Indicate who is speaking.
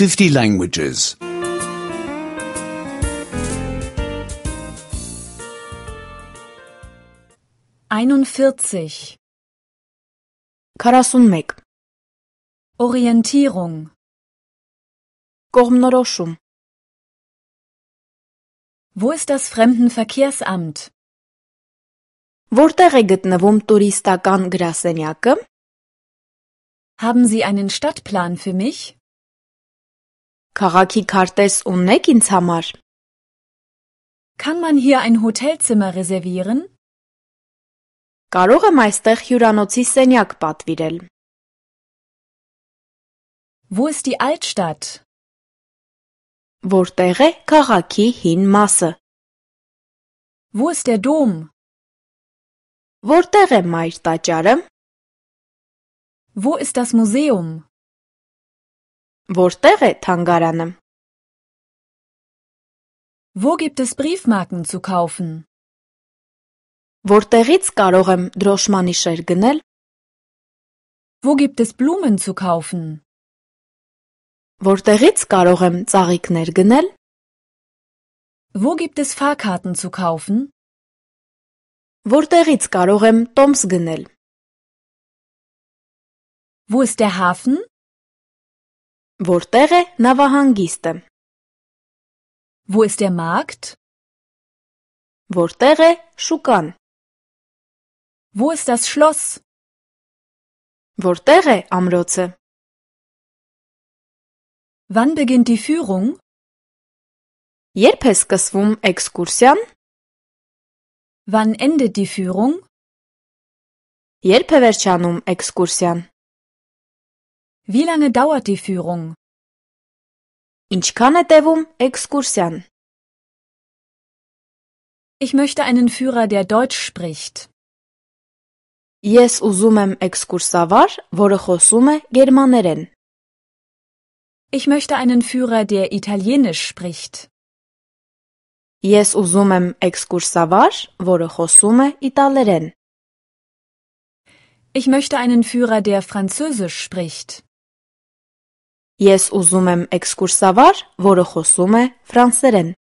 Speaker 1: 50 languages.
Speaker 2: 41.
Speaker 3: 41.
Speaker 2: Orientierung.
Speaker 3: Կողմնորոշում.
Speaker 2: Wo ist das Fremdenverkehrsamt?
Speaker 3: Որտեղ է գտնվում տուրիստական գրասենյակը?
Speaker 2: Haben Sie einen Stadtplan für mich?
Speaker 3: Քաղաքի քարտեզ ունեք ինձ համար?
Speaker 2: Kann man hier ein Hotelzimmer reservieren?
Speaker 3: Կարող եմ այստեղ հյուրանոցի սենյակ պատվիրել?
Speaker 2: Wo ist die Altstadt?
Speaker 3: Որտեղ է քաղաքի հին մասը?
Speaker 2: Wo ist der Dom?
Speaker 3: Որտեղ է մայր տաճարը?
Speaker 2: Wo ist das Museum?
Speaker 3: Որտեղ է թանգարանը?
Speaker 2: Wo gibt es Briefmarken zu kaufen?
Speaker 3: Որտեղից կարող եմ դրոշմանիշեր գնել?
Speaker 2: Wo gibt es Blumen zu kaufen?
Speaker 3: Որտեղից կարող եմ ծաղիկներ գնել?
Speaker 2: Wo gibt es Fahrkarten zu kaufen?
Speaker 3: Որտեղից կարող եմ տոմս գնել?
Speaker 2: Wo ist der Hafen?
Speaker 3: Որտեղ է նավահանգիստը?
Speaker 2: Wo ist der Markt?
Speaker 3: Որտեղ է շուկան?
Speaker 2: Wo ist das Schloss?
Speaker 3: Որտեղ է ամրոցը?
Speaker 2: Wann beginnt die Führung?
Speaker 3: Երբ է սկսվում էքսկուրսիան?
Speaker 2: Wann endet die Führung?
Speaker 3: Երբ է վերջանում էքսկուրսիան?
Speaker 2: Wie lange dauert die Führung?
Speaker 3: Ինչքան է տևում էքսկուրսիան?
Speaker 2: Ich möchte einen Führer, der Deutsch spricht.
Speaker 3: Ես ուզում եմ էքսկուրսավար, որը խոսում է գերմաներեն.
Speaker 2: Ich möchte einen Führer, der Italienisch spricht.
Speaker 3: Ես ուզում եմ էքսկուրսավար, որը խոսում է իտալերեն.
Speaker 2: Ich möchte einen Führer, der Französisch spricht.
Speaker 3: Ես ուզում եմ էքսկուրսավար, որը խոսում է ֆրանսերեն.